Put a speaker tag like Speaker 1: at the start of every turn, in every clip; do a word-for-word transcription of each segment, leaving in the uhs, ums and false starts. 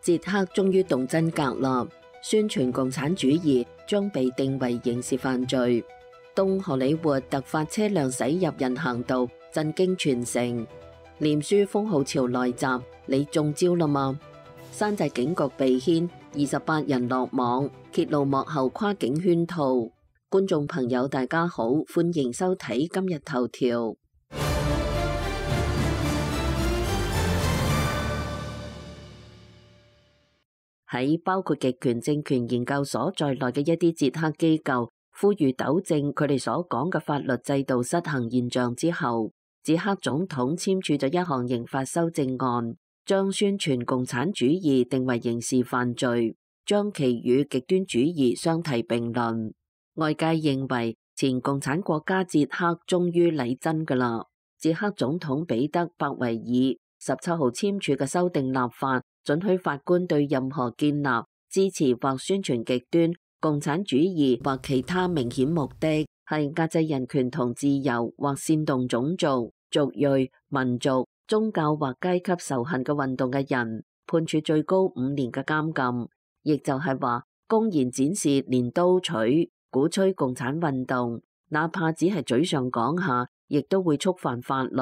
Speaker 1: 捷克終於動真格啦，宣傳共產主義將被定為刑事犯罪。東荷里活突發車輛駛入人行道，震驚全城。臉書封號潮來襲，你中招啦嗎？山寨警局被牽，二十八人落網，揭露幕後跨境圈套。觀眾朋友大家好，歡迎收睇今日頭條。喺包括極權政權研究所在內嘅一啲捷克機構呼籲糾正佢哋所講嘅法律制度失衡現象之後，捷克總統簽署咗一項刑法修正案，將宣傳共產主義定為刑事犯罪，將其與極端主義相提並論。外界認為前共產國家捷克終於嚟真㗎啦！捷克總統彼得伯維爾十七號簽署嘅修訂立法，准許法官對任何建立、支持或宣傳極端共產主義或其他明顯目的係壓制人權同自由或煽動種族、族裔、民族、宗教或階級仇恨嘅運動嘅人，判處最高五年嘅監禁。亦就係話，公然展示鐮刀取、鼓吹共產運動，哪怕只係嘴上講下，亦都會觸犯法律。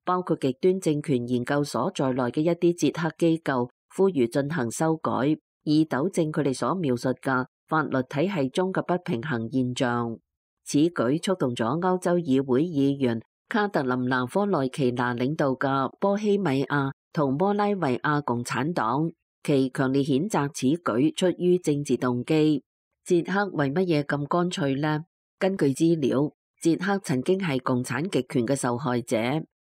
Speaker 1: 包括極端政權研究所在內嘅一啲捷克機構呼籲進行修改，以糾正佢哋所描述嘅法律體系中嘅不平衡現象。此舉觸動咗歐洲議會議員卡特琳娜科內奇娜領導嘅波希米亞同摩拉維亞共產黨，其強烈譴責此舉出於政治動機。捷克為乜嘢咁乾脆呢？根據資料，捷克曾經係共產極權嘅受害者。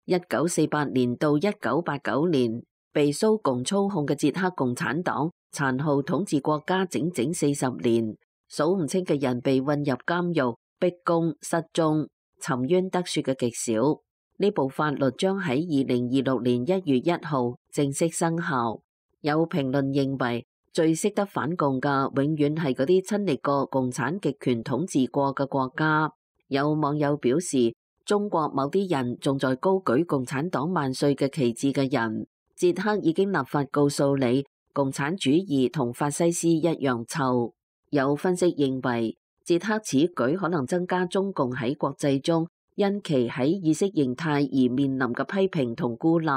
Speaker 1: 一九四八年到一九八九年，被蘇共操控嘅捷克共產黨殘酷統治國家整整四十年，數唔清嘅人被運入監獄、逼供、失蹤，沉冤得雪嘅極少。呢部法律將喺二零二六年一月一號正式生效。有評論認為，最識得反共嘅永遠係嗰啲親歷過共產極權統治過嘅國家。有網友表示，中國某啲人仲在高舉共產黨萬歲嘅旗幟嘅人，捷克已經立法告訴你，共產主義同法西斯一樣臭。有分析認為，捷克此舉可能增加中共喺國際中因其喺意識形態而面臨嘅批評同孤立。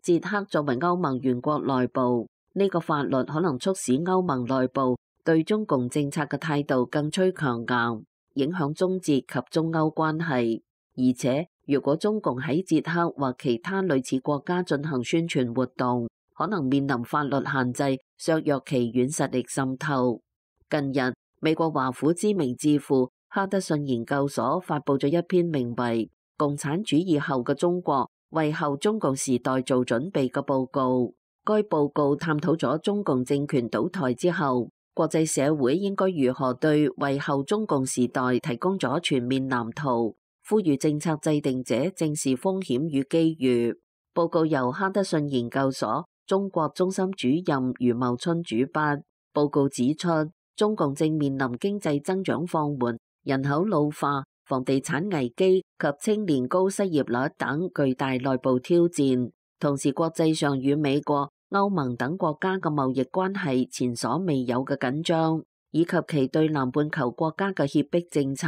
Speaker 1: 捷克作為歐盟原國內部，呢個法律可能促使歐盟內部對中共政策嘅態度更趨強硬，影響中捷及中歐關係。而且，如果中共喺捷克或其他類似國家進行宣傳活動，可能面臨法律限制，削弱其軟實力滲透。近日，美國華府知名智庫哈德遜研究所發佈咗一篇名為《共產主義後嘅中國：為後中共時代做準備》嘅報告。該報告探討咗中共政權倒台之後，國際社會應該如何對為後中共時代提供咗全面藍圖。呼籲政策制定者正視風險與機遇。報告由哈德遜研究所中國中心主任余茂春主筆。報告指出，中共正面臨經濟增長放緩、人口老化、房地產危機及青年高失業率等巨大內部挑戰。同時，國際上與美國、歐盟等國家嘅貿易關係前所未有嘅緊張，以及其對南半球國家嘅脅迫政策，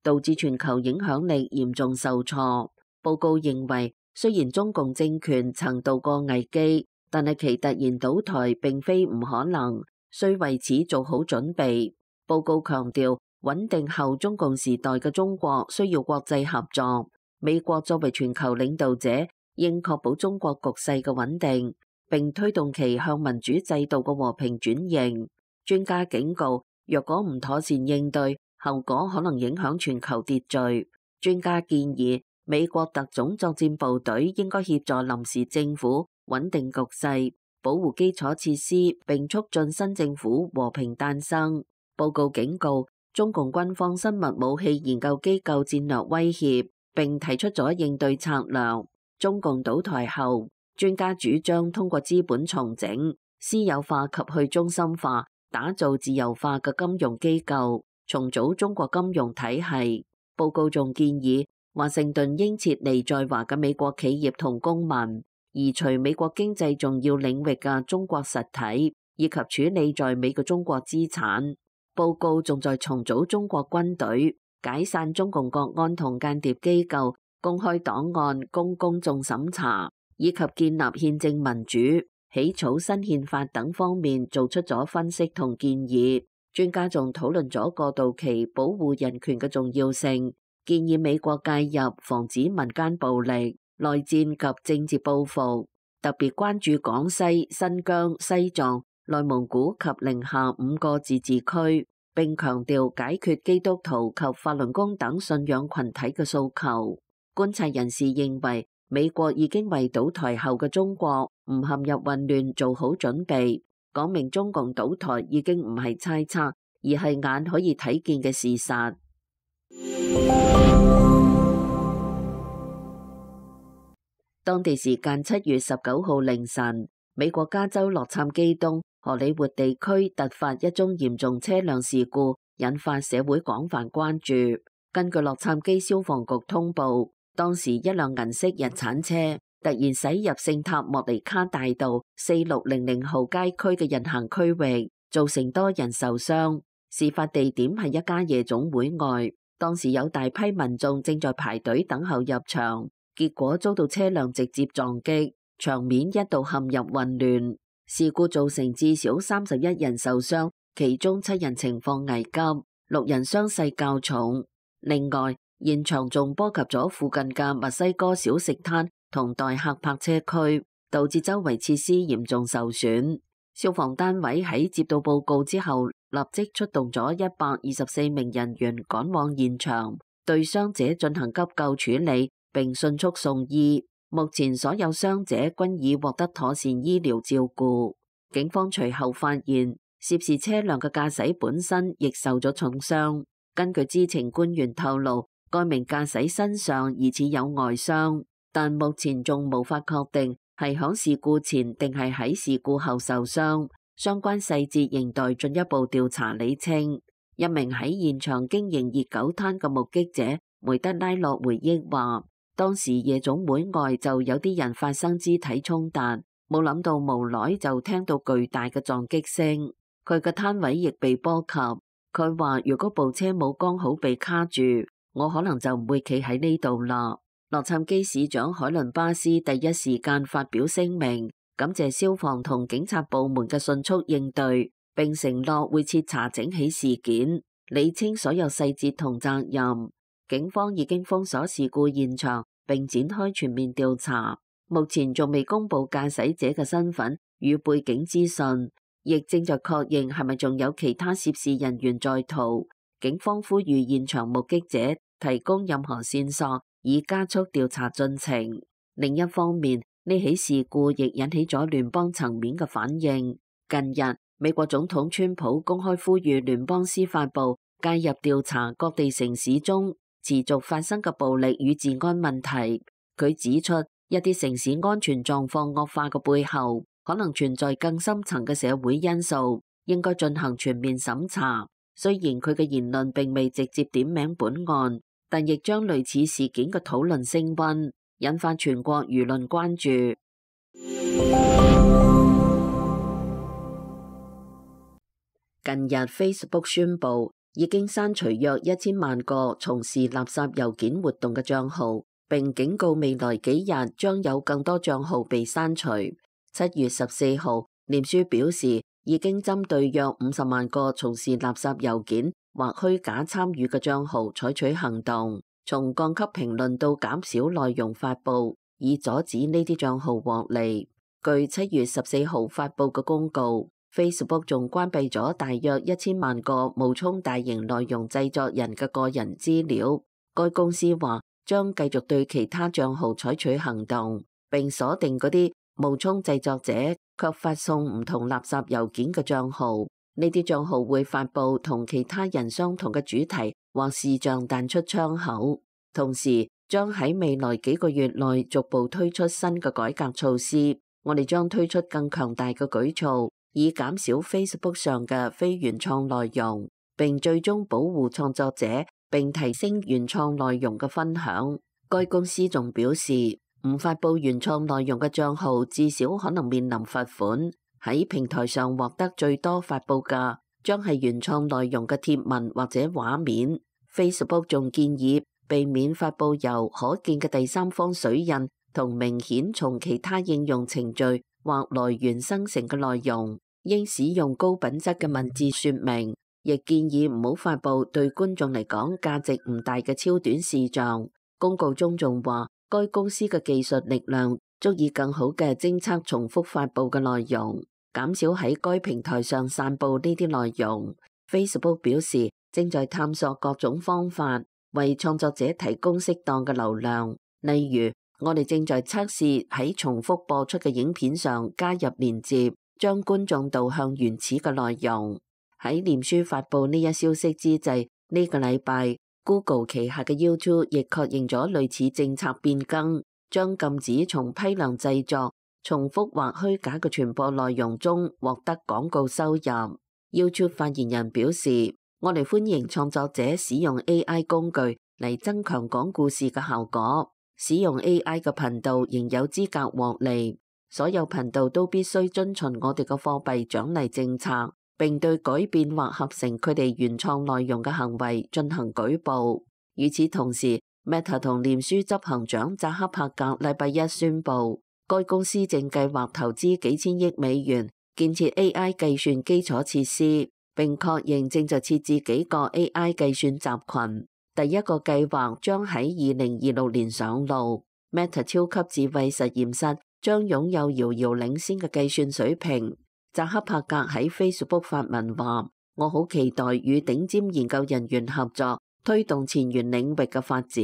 Speaker 1: 導致全球影響力嚴重受挫。報告認為，雖然中共政權曾度過危機，但係其突然倒台並非唔可能，需為此做好準備。報告強調，穩定後中共時代嘅中國需要國際合作。美國作為全球領導者，應確保中國局勢嘅穩定，並推動其向民主制度嘅和平轉型。專家警告，若果唔妥善應對，後果可能影響全球秩序。專家建議，美國特種作戰部隊應該協助臨時政府穩定局勢，保護基礎設施，並促進新政府和平誕生。報告警告，中共軍方生物武器研究機構戰略威脅，並提出咗應對策略。中共倒台後，專家主張通過資本重整、私有化及去中心化，打造自由化嘅金融機構，重組中國金融體系。報告仲建議，華盛頓應撤離在華嘅美國企業同公民，移除美國經濟重要領域嘅中國實體，以及處理在美嘅中國資產。報告仲在重組中國軍隊、解散中共國安同間諜機構、公開檔案供公眾審查，以及建立憲政民主、起草新憲法等方面做出咗分析同建議。專家仲討論咗過渡期保護人權嘅重要性，建議美國介入防止民間暴力、內戰及政治報復，特別關注廣西、新疆、西藏、內蒙古及寧夏五個自治區，並強調解決基督徒及法輪功等信仰群體嘅訴求。觀察人士認為，美國已經為倒台後嘅中國唔陷入混亂做好準備，講明中共倒台已經唔係猜測，而係眼可以睇見嘅事實。當地時間七月十九號凌晨，美國加州洛杉磯東荷里活地區突發一宗嚴重車輛事故，引發社會廣泛關注。根據洛杉磯消防局通報，當時一輛銀色日產車突然駛入聖塔莫尼卡大道四六零零號街區嘅人行區域，造成多人受傷。事發地點係一家夜總會外，當時有大批民眾正在排隊等候入場，結果遭到車輛直接撞擊，場面一度陷入混亂。事故造成至少三十一人受傷，其中七人情況危急，六人傷勢較重。另外，現場仲波及咗附近嘅墨西哥小食攤同代客泊車區，導致周圍設施嚴重受損。消防單位喺接到報告之後，立即出動咗一百二十四名人員趕往現場，對傷者進行急救處理，並迅速送醫。目前所有傷者均已獲得妥善醫療照顧。警方隨後發現，涉事車輛嘅駕駛本身亦受咗重傷。根據知情官員透露，該名駕駛身上疑似有外傷，但目前仲無法確定係響事故前定係喺事故後受傷，相關細節仍待進一步調查理清。一名喺現場經營熱狗攤嘅目擊者梅德拉洛回憶話，當時夜總會外就有啲人發生肢體衝突，冇諗到無耐就聽到巨大嘅撞擊聲，佢嘅攤位亦被波及。佢話如果部車冇剛好被卡住，我可能就唔會企喺呢度啦。洛杉磯市長海倫巴斯第一時間發表聲明，感謝消防同警察部門嘅迅速應對，並承諾會徹查整起事件，理清所有細節同責任。警方已經封鎖事故現場，並展開全面調查。目前仲未公布駕駛者嘅身份與背景資訊，亦正在確認係咪仲有其他涉事人員在逃。警方呼籲現場目擊者提供任何線索，以加速調查進程。另一方面，呢起事故亦引起咗聯邦層面嘅反應。近日，美國總統川普公開呼籲聯邦司法部介入調查各地城市中持續發生嘅暴力與治安問題。佢指出，一啲城市安全狀況惡化嘅背後，可能存在更深層嘅社會因素，應該進行全面審查。雖然佢嘅言論並未直接點名本案，但亦將類似事件嘅討論升溫，引發全國輿論關注。近日 Facebook 宣布已經刪除約一千萬個從事垃圾郵件活動嘅賬號，並警告未來幾日將有更多賬號被刪除。七月十四號，臉書表示已經針對約五十萬個從事垃圾郵件或虛假參與嘅賬號採取行動，從降級評論到減少內容發布，以阻止呢啲賬號獲利。據七月十四號發布嘅公告， Facebook 仲關閉咗大約一千萬個冒充大型內容製作人嘅個人資料。該公司話將繼續對其他賬號採取行動，並鎖定嗰啲冒充製作者卻發送唔同垃圾郵件嘅賬號。呢啲賬號會發布同其他人相同嘅主題或視像彈出窗口，同時將喺未來幾個月內逐步推出新嘅改革措施。我哋將推出更強大嘅舉措，以減少 Facebook 上嘅非原創內容，並最終保護創作者，並提升原創內容嘅分享。該公司仲表示唔發佈原創內容嘅賬號至少可能面臨罰款。喺平台上獲得最多發佈嘅將係原創內容嘅貼文或者畫面。Facebook 仲建議避免發佈由可見嘅第三方水印同明顯從其他應用程序或來源生成嘅內容，應使用高品質嘅文字說明。亦建議唔好發佈對觀眾嚟講價值唔大嘅超短視像。公告中仲話，該公司嘅技術力量足以更好嘅偵測重複發佈嘅內容，減少喺該平台上散佈呢啲內容。Facebook 表示正在探索各種方法為創作者提供適當嘅流量，例如我哋正在測試喺重複播出嘅影片上加入連接，將觀眾導向原始嘅內容。喺臉書發佈呢一消息之際，呢、這個禮拜 Google 旗下嘅 YouTube 亦確認咗類似政策變更，將禁止從批量製作、重複或虛假嘅傳播內容中獲得廣告收入。YouTube 發言人表示，我哋歡迎創作者使用 A I 工具嚟增強講故事嘅效果。使用 A I 嘅頻道仍有資格獲利，所有頻道都必須遵循我哋嘅貨幣獎勵政策，並對改變或合成佢哋原創內容嘅行為進行舉報。與此同時 ，Meta 同臉書執行長扎克伯格禮拜一宣布，該公司正計劃投資幾千億美元建設 A I 計算基礎設施，並確認正在設置幾個 A I 計算集群。第一個計劃將喺二零二六年上路。Meta 超級智慧實驗室將擁有遙遙領先嘅計算水平。扎克伯格喺 Facebook 發文話：我好期待與頂尖研究人員合作，推動前沿領域嘅發展。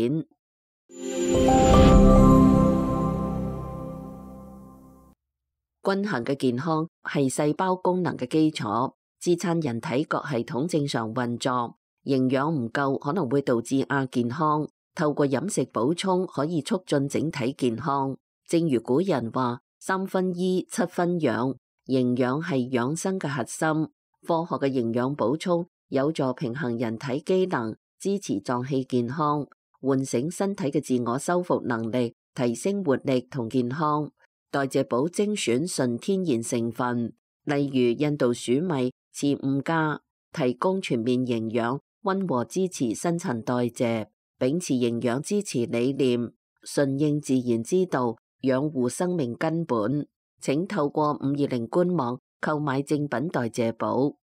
Speaker 1: 均衡嘅健康係細胞功能嘅基礎，支撐人體各系統正常運作。營養唔夠可能會導致亞健康，透過飲食補充可以促進整體健康。正如古人話：三分醫，七分養。營養係養生嘅核心，科學嘅營養補充有助平衡人體機能，支持臟器健康，喚醒身體嘅自我修復能力，提升活力同健康。代謝寶精選純天然成分，例如印度黍米、慈吳家，提供全面營養，溫和支持新陳代謝，秉持營養支持理念，順應自然之道，養護生命根本。請透過五二零官網購買正品代謝寶。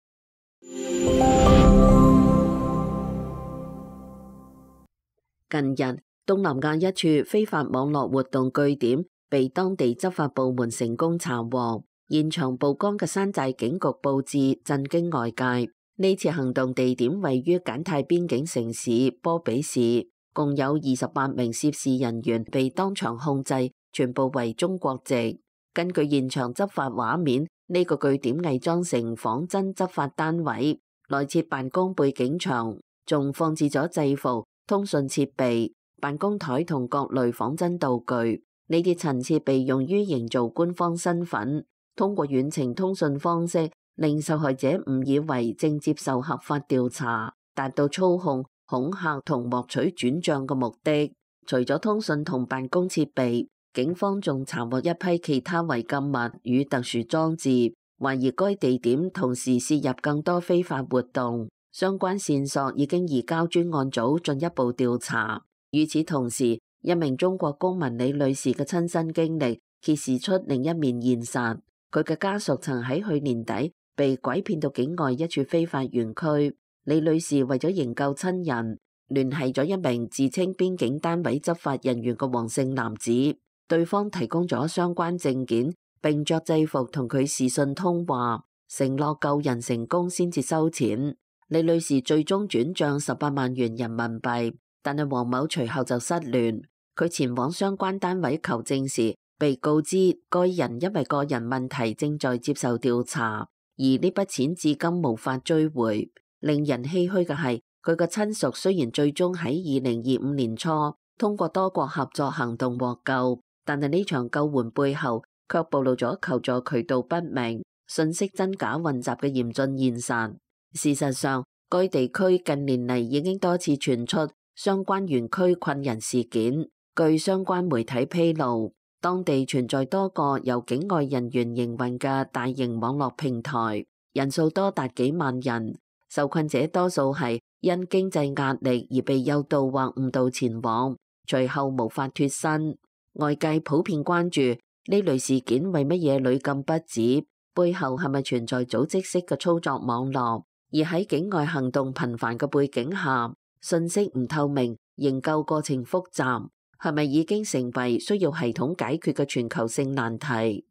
Speaker 1: 近日，東南亞一處非法網絡活動據點被當地執法部門成功查獲，現場曝光嘅山寨警局佈置震驚外界。呢次行動地點位於柬泰邊境城市波比市，共有二十八名涉事人員被當場控制，全部為中國籍。根據現場執法畫面，呢、這個據點偽裝成仿真執法單位，內設辦公背景牆，仲放置咗制服、通訊設備、辦公台同各類仿真道具。呢啲陳設被用於營造官方身份，通過遠程通訊方式，令受害者誤以為正接受合法調查，達到操控、恐嚇同獲取轉賬嘅目的。除咗通訊同辦公設備，警方仲查獲一批其他違禁物與特殊裝置，懷疑該地點同時涉入更多非法活動。相關線索已經移交專案組進一步調查。與此同時，一名中國公民李女士嘅親身經歷揭示出另一面現實。佢嘅家屬曾喺去年底被拐騙到境外一處非法園區。李女士為咗營救親人，聯繫咗一名自稱邊境單位執法人員嘅黃姓男子。對方提供咗相關證件，並着制服同佢視訊通話，承諾救人成功先至收錢。李女士最終轉賬十八萬元人民幣，但係黃某隨後就失聯。佢前往相關單位求證時，被告知該人因為個人問題正在接受調查，而呢筆錢至今無法追回。令人唏噓嘅係，佢嘅親屬雖然最終喺二零二五年初通過多國合作行動獲救，但係呢場救援背後卻暴露咗求助渠道不明、信息真假混雜嘅嚴峻現實。事實上，該地區近年嚟已經多次傳出相關園區困人事件。據相關媒體披露，當地存在多個由境外人員營運嘅大型網絡平台，人數多達幾萬人。受困者多數係因經濟壓力而被誘導或誤導前往，隨後無法脫身。外界普遍關注呢類事件為乜嘢屢禁不止，背後係咪存在組織式嘅操作網絡？而喺境外行動頻繁嘅背景下，信息唔透明，營救過程複雜，係咪已經成為需要系統解決嘅全球性難題？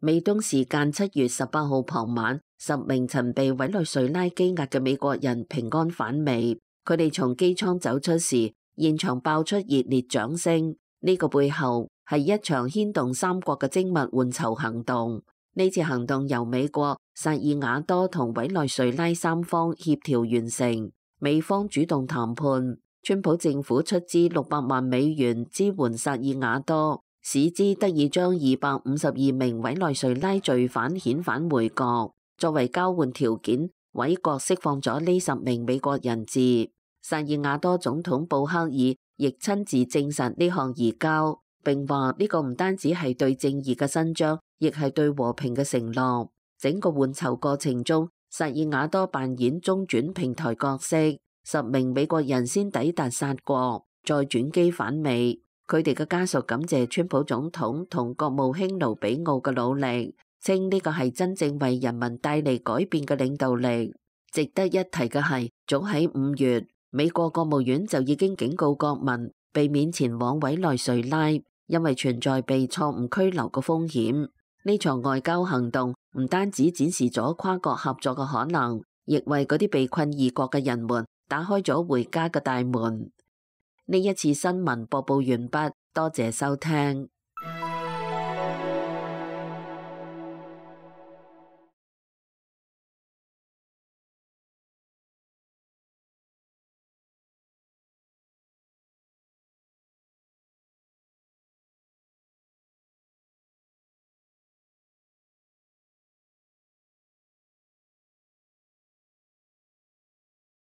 Speaker 1: 美東時間七月十八號傍晚，十名曾被委內瑞拉羈押嘅美國人平安返美。佢哋從機艙走出時，現場爆出熱烈掌聲。呢個背後係一場牽動三國嘅精密換囚行動。呢次行動由美國、薩爾瓦多同委內瑞拉三方協調完成。美方主動談判，川普政府出資六百萬美元支援薩爾瓦多，使之得以將二百五十二名委內瑞拉罪犯遣返回國。作為交換條件，委國釋放咗呢十名美國人質。薩爾瓦多總統布克爾亦親自證實呢項移交，並話呢個唔單止係對正義嘅伸張，亦係對和平嘅承諾。整個換囚過程中，薩爾瓦多扮演中轉平台角色，十名美國人先抵達薩國，再轉機返美。佢哋嘅家屬感謝川普總統同國務卿盧比奧嘅努力，稱呢個係真正為人民帶嚟改變嘅領導力。值得一提嘅係，早喺五月，美國國務院就已經警告國民避免前往委內瑞拉，因為存在被錯誤拘留嘅風險。呢場外交行動唔單止展示咗跨國合作嘅可能，亦為嗰啲被困異國嘅人們打開咗回家嘅大門。呢一次新聞播報完畢，多謝收聽。